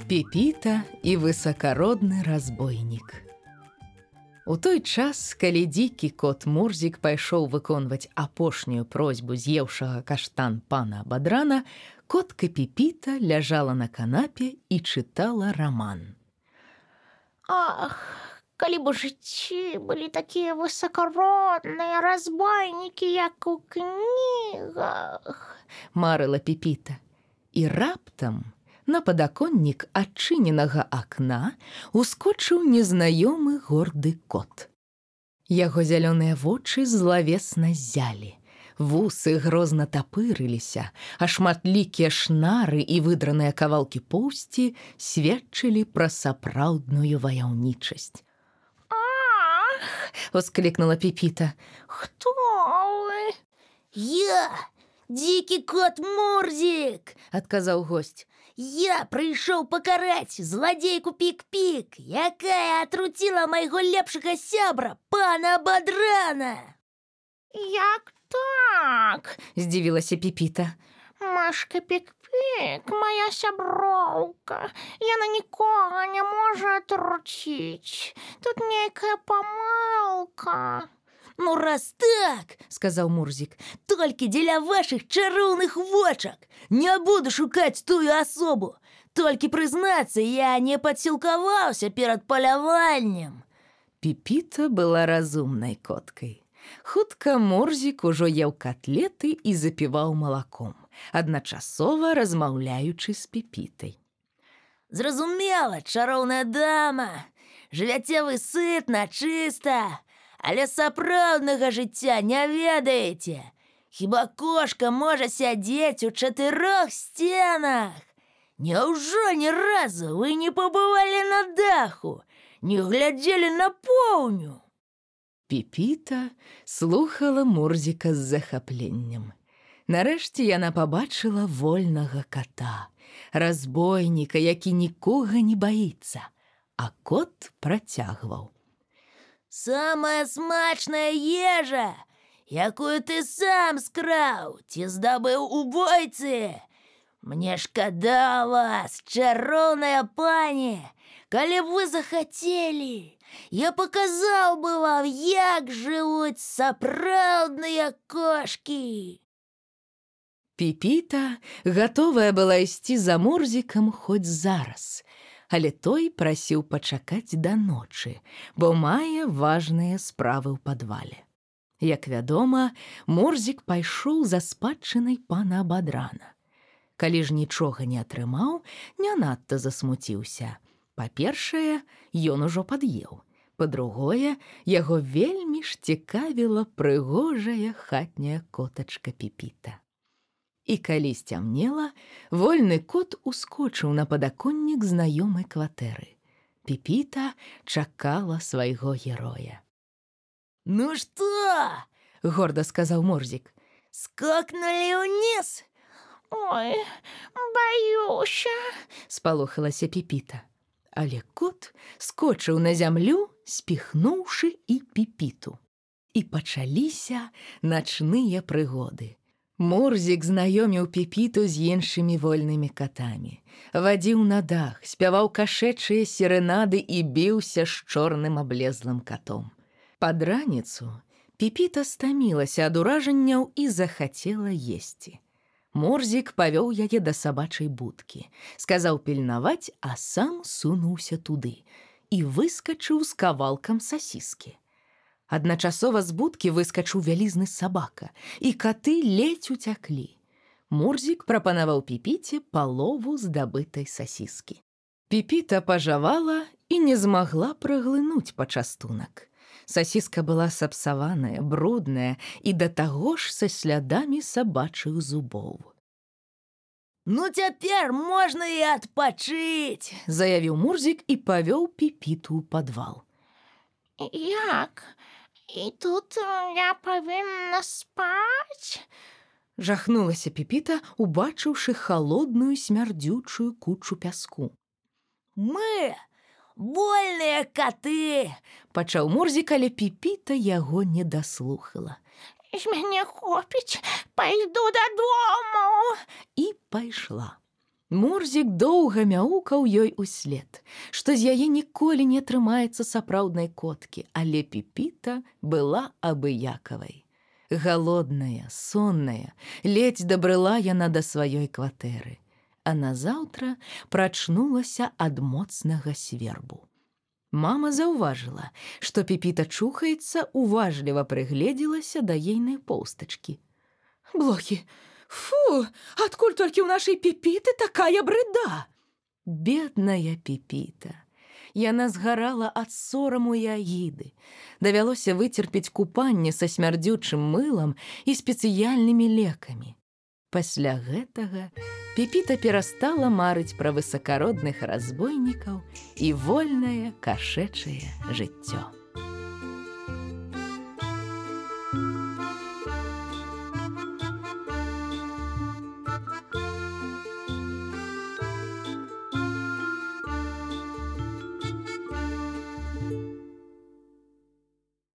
Пепіта і высакародны разбойнік. У той час, калі дзікі кот Мурзік пайшоў выконваць апошнюю просьбу з'еўшага каштан пана Бадрана, котка Пепіта ляжала на канапе і чытала раман. Ах, калі б у жыцці былі такія высакародныя разбойнікі, як у кнігах, марыла Пепіта. І раптам на падаконнік адчыненага акна ускочыў незнаёмы горды кот. Яго зялёныя вочы злавесна ззялі, вусы грозна тапырыліся, а шматлікія шнары і выдраныя кавалкі поўсці сведчылі пра сапраўдную ваяўнічасць. «Ах!» – воскликнула Пепіта. «Хто вы?» «Я, дзікі кот Мурзік!» – адказаў госць. «Я прыйшоў пакараць зладзейку Пік-Пік, якая атруціла майго лепшага сябра, пана Бадрана!» «Як так?» – здзівілася Пепіта. «Машка Пік-Пік, моя сяброўка, яна нікога не можа атруціць. Тут нейкая памылка». «Ну, раз так, — сказаў Мурзік, — толькі дзеля вашых чароўных вочак не буду шукаць тую асобу. Толькі прызнацца, я не падсілкаваўся перад паляваннем». Пепіта была разумнай коткай. Хутка Мурзік ужо еў котлеты і запіваў малаком, адначасова размаўляючы з Пепітай. «Зразумела, чароўная дама, жывяце вы сытна, чыста, але сапраўднага жыцця не ведаеце. Хіба кошка можа сядзець у 4 сценах? Няўжо ні разу вы не пабывалі на даху, не глядзелі на поўню?» Пепіта слухала Мурзіка з захапленнем. Нарэшце яна пабачыла вольнага кота, разбойніка, які нікога не баіцца, а кот працягваў. «Самая смачная ежа, якую ты сам скраў ці здабыў у бойцы. Мне шкада вас, чароўная пані. Калі б вы захацелі, я паказаў бы вам, як жывуць сапраўдныя кошкі». Пепіта гатовая была ісці за Мурзікам хоць зараз, але той прасіў пачакаць да ночы, бо мае важныя справы ў падвале. Як вядома, Мурзік пайшоў за спадчынай пана Бадрана. Калі ж нічога не атрымаў, не надта засмуціўся. Па-першае, ён ужо пад'еў. Па-другое, яго вельмі ж цікавіла прыгожая хатняя котачка Пепіта. І калі сцямнела, вольны кот ускочыў на падаконнік знаёмай кватэры. Пепіта чакала свайго героя. «Ну што?» – горда сказаў Мурзік. «Скокнулі ўніз?» «Ой, баюся!» – спалохалася Пепіта. Але кот скочыў на зямлю, спіхнуўшы і Пепіту. І пачаліся начныя прыгоды. Мурзік знаёміў Пепіту з іншымі вольнымі катамі, вадзіў на дах, спяваў кашэчыя серэнады і біўся з чорным аблезлым катом. Пад раніцу Пепіта стамілася ад уражанняў і захацела есці. Мурзік павёў яе да сабачай будкі, сказаў пільнаваць, а сам сунуўся туды і выскачыў з кавалкам сасіскі. Адначасова з будкі выскачыў вялізны сабака, і каты ледзь уцяклі. Мурзік прапанаваў Пепіце палову здабытай сасіскі. Пепіта пажавала і не змагла праглынуць пачастунак. Сасіска была сапсаваная, брудная і да таго ж са слядамі сабачых зубоў. «Ну цяпер можна і адпачыць!» – заявіў Мурзік і павёў Пепіту ў падвал. «Як? І тут я павінна спаць?» – жахнулася Пепіта, убачыўшы халодную смярдзючую кучу пяску. «Мы вольныя каты!» – пачаў Мурзік, але Пепіта яго не даслухала. «З мяне хопіць, пайду дадому!» І пайшла. Мурзік доўга мяукаў ёй услед, што з яе ніколі не атрымаецца сапраўднай коткі, але Піпіта была абыякавай. Галодная, сонная, ледзь дабрыла яна да сваёй кватэры, а назаўтра прачнулася ад моцнага свербу. Мама заўважыла, што Піпіта чухаецца, уважліва прыгледзелася да ейнай поўстачкі. «Блохі! Фу! Адкуль толькі ў нашай Піпіты такая брыда!» Бедная Піпіта! Яна згарала ад сораму і агіды. Давялося выцерпець купанне са смярдзючым мылам і спецыяльнымі лекамі. Пасля гэтага Піпіта перастала марыць пра высакародных разбойнікаў і вольнае кашэчае жыццё.